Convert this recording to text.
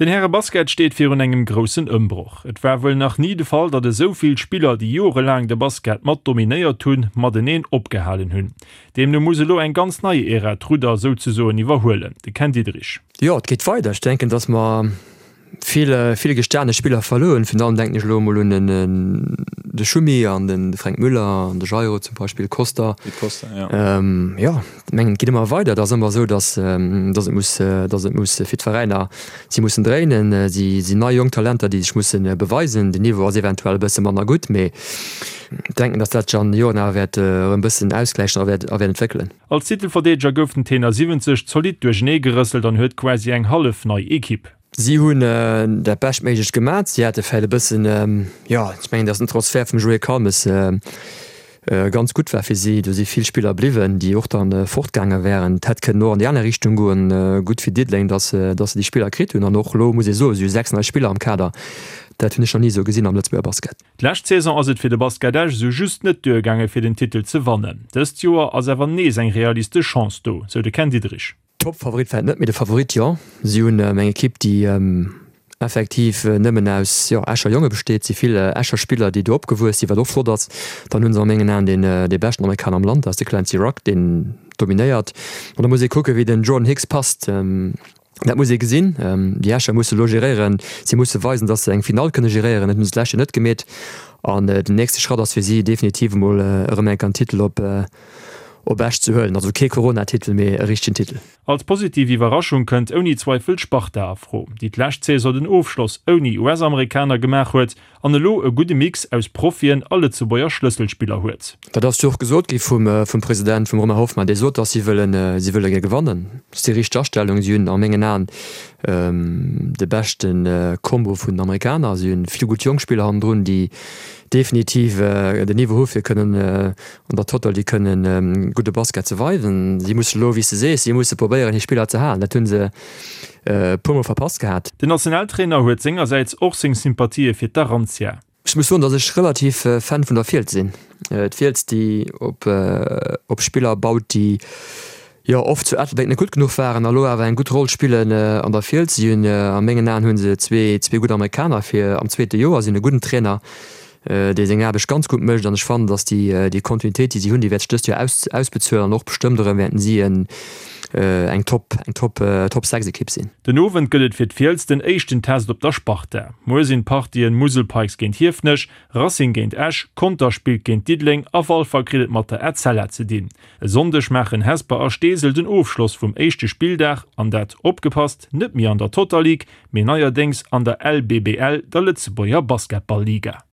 Den Härebasket steet virun engem groussen Ëmbroch. Et war wuel nach ni de Fall, datt esou vill Spiller, déi jorelaang de Basket mat dominéiert hunn, mateneen opgehalen hunn. Deemno muss elo eng ganz nei Ära d'Rudder souzesoen iwwerhuelen. De Ken Diederich. Jo, et geet weider. Ech denken, datt mer vill, vill gestane Spiller verluer hunn. Virun allem denken ech elo emol un de Schumi an de Fränk Müller an de Jairo zum Beispill, Costa. Jo, ech mengen, et geet ëmmer weider. Et ass ëmmer esou, datt, datt et muss, datt et muss fir d'Veräiner, si mussen dréinen. Si sinn nei jonk Talenter, déi sech musse beweisen. Den Niveau ass eventuell e bësse manner gutt, mee ech denken, datt dat sech an de Joren awer wäert erëm e bëssen ausgläichen a wäert, a wäert entwéckelen. Als Titelverdeedeger gouf den Tenor 70 zolidd duerchenee gerësselt an huet quasi eng hallef nei Ekipp. Si hunn dat Beschtméiglecht gemat. Si hate vläicht e bëssen, jo, ech mengen, datt den Transfert vum Joé Kalmes ganz gutt war fir si. Do si vill Spiller bliwwen, déi och da fortgaange wären. Et hätt kënnen och an déi aner Richtung goen. Gutt fir Diddeleng, datt se déi Spiller kritt hunn. An och elo muss ee soen, si hu 6 nei Spiller am Kader. Dat hunn ech nach ni esou gesinn am Lëtzebuerger Basket. D'lescht Saison ass et fir de Basket Esch esou just net duergaange fir den Titel ze wannen. Dëst Joer ass awer nees eng realistesch Chance do, sou de Ken Diederich. Top-Favorit vläit net, mee de Favorit jo. Si hunn eng Ekipp, déi effektiv nëmmen aus, jo, Escher Jonge besteet. Et si vill Escher Spiller, déi do opgewuess sinn, wat och flott ass. Dann hu se a mengen Aen deen dee beschten Amerikaner am Land, dat ass de Clancy Rugg, deen dominéiert. An da muss ee kucken, wéi den Jordan Hicks passt. Dat muss ee gesinn. Déi Escher musse elo geréieren. Si musse weisen, datt se eng Finall kënne geréieren. Dat hunn se d'lescht Joer net gemeet. An den nächste Schratt ass fir si definitiv emol erëm eng Kéier en Titel op op Esch ze huelen. Also kee Corona-Titel, mee e richtegen Titel. Als positiv Iwwerraschung kënnt ouni Zweifel d'Sparta a Fro, déi d'lescht Saison den Ofschloss ouni US-Amerikaner gemaach huet an elo e gudde Mix aus Profien a Lëtzebuerger Schlësselspiller huet. Dat ass jo och gesot gi vum President, vum Romain Hoffmann, dee sot, datt si wëllen, si wëlle gär gewannen. Dat ass déi richteg Astellung. Si hunn a mengen Aen de beschte Combo vun den Amerikaner. Si hunn vill gutt jonk Spiller hannendrun, déi definitiv den Niveau hu fir kënnen An der Total, déi kënnen gudde Basket ze weisen. Si musse elo, wéi s de sees, si musse probéieren, hir Spiller ze halen. Dat hu se e puermol verpasst gehat. Den Nationaltrainer huet sengersäits och seng Sympathië fir d'Arantia. Ech muss soen, datt ech relativ Fan vun der Fiels sinn. D'Fiels, déi op Spiller baut, déi jo oft zu Ettelbréck net gutt genuch waren a lo awer eng gutt Roll spillen an der Fiels. Si hunn a mengen Aen hu se zwee gutt Amerikaner fir am zweete Joer, si hunn e gudden Trainer, dee seng Aarbecht ganz gutt mécht an ech fannen, datt déi déi Kontinuitéit, déi si hunn, déi wäert sech dëst Joer aus ausbezuelen an och bestëmmt erëm wäerten si en eng Top eng Top Top 6 Ekipp sinn. Den Owend gëtt et fir d'Fiels den éischten Test op der Sparta. Muer sinn d'Partien Musel Pikes géint Hiefenech, Racing géint Esch, Conter spillt géint Diddeleng a Walfer kritt et mat der Etzella ze dinn. E Sonndeg maachen Hesper a Steesel den Ofschloss vum éischte Spilldag an dat, opgepasst, net méi an der Total League, mee neierdéngs an der LBBL, der Lëtzebuerger Basketball-Liga.